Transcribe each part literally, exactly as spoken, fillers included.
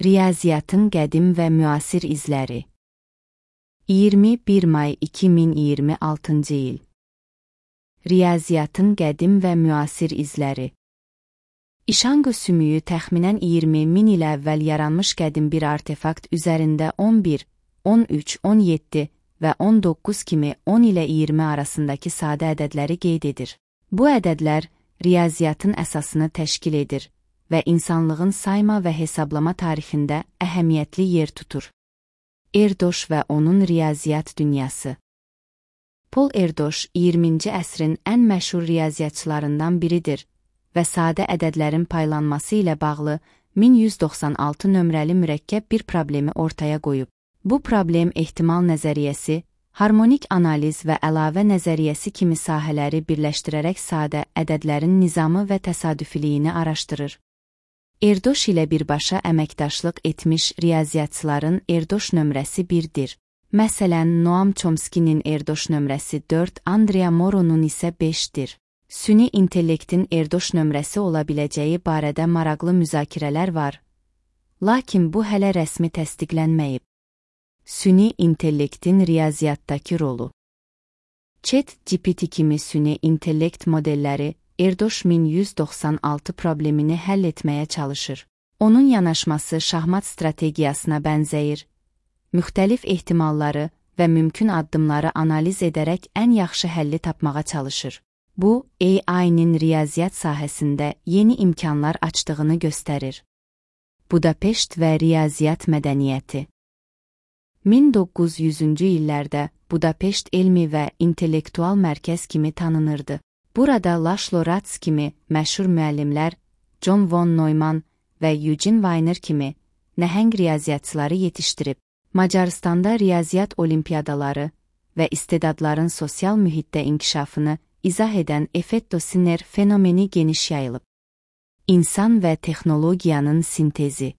Riyaziyyatın qədim və müasir izləri. iyirmi bir may iki min iyirmi altıncı il. Riyaziyyatın qədim və müasir izləri. İşanqo sümüyü təxminən iyirmi min il əvvəl yaranmış qədim bir artefakt üzərində on bir, on üç, on yeddi və on doqquz kimi on ilə iyirmi arasındakı sadə ədədləri qeyd edir. Bu ədədlər riyaziyyatın əsasını təşkil edir və insanlığın sayma və hesablama tarixində əhəmiyyətli yer tutur. Erdoş və onun riyaziyyat dünyası. Paul Erdoş iyirminci əsrin ən məşhur riyaziyyatçılarından biridir və sadə ədədlərin paylanması ilə bağlı min yüz doxsan altı nömrəli mürəkkəb bir problemi ortaya qoyub. Bu problem ehtimal nəzəriyyəsi, harmonik analiz və əlavə nəzəriyyəsi kimi sahələri birləşdirərək sadə ədədlərin nizamı və təsadüfiliyini araşdırır. Erdoş ilə birbaşa əməkdaşlıq etmiş riyaziyyatçıların Erdoş nömrəsi birdir. Məsələn, Noam Chomsky'nin Erdoş nömrəsi dörd, Andrea Moro'nun isə beşdir. Süni intellektin Erdoş nömrəsi ola biləcəyi barədə maraqlı müzakirələr var, lakin bu hələ rəsmi təsdiqlənməyib. Süni intellektin riyaziyyatdakı rolu. ChatGPT kimi süni intellekt modelləri Erdoş min yüz doxsan altı problemini həll etməyə çalışır. Onun yanaşması şahmat strategiyasına bənzəyir. Müxtəlif ehtimalları və mümkün addımları analiz edərək ən yaxşı həlli tapmağa çalışır. Bu, A I-nin riyaziyyat sahəsində yeni imkanlar açdığını göstərir. Budapeşt və riyaziyyat mədəniyyəti. min doqquz yüzüncü illərdə Budapeşt elmi və intellektual mərkəz kimi tanınırdı. Burada Laszlo Ratz kimi məşhur müəllimlər, John von Neumann və Eugene Wiener kimi nəhəng riyaziyyatçıları yetişdirib. Macaristanda riyaziyyat olimpiyadaları və istedadların sosial mühitdə inkişafını izah edən Effetto-Sinner fenomeni geniş yayılıb. İnsan və texnologiyanın sintezi.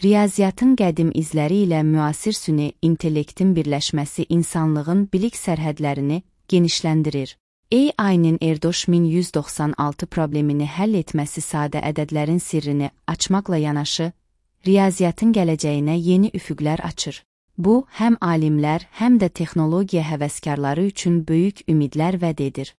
Riyaziyyatın qədim izləri ilə müasir süni intellektin birləşməsi insanlığın bilik sərhədlərini genişləndirir. A I-nin Erdoş min yüz doxsan altı problemini həll etməsi sadə ədədlərin sirrini açmaqla yanaşı, riyaziyyatın gələcəyinə yeni üfüqlər açır. Bu, həm alimlər, həm də texnologiya həvəskarları üçün böyük ümidlər vəd edir.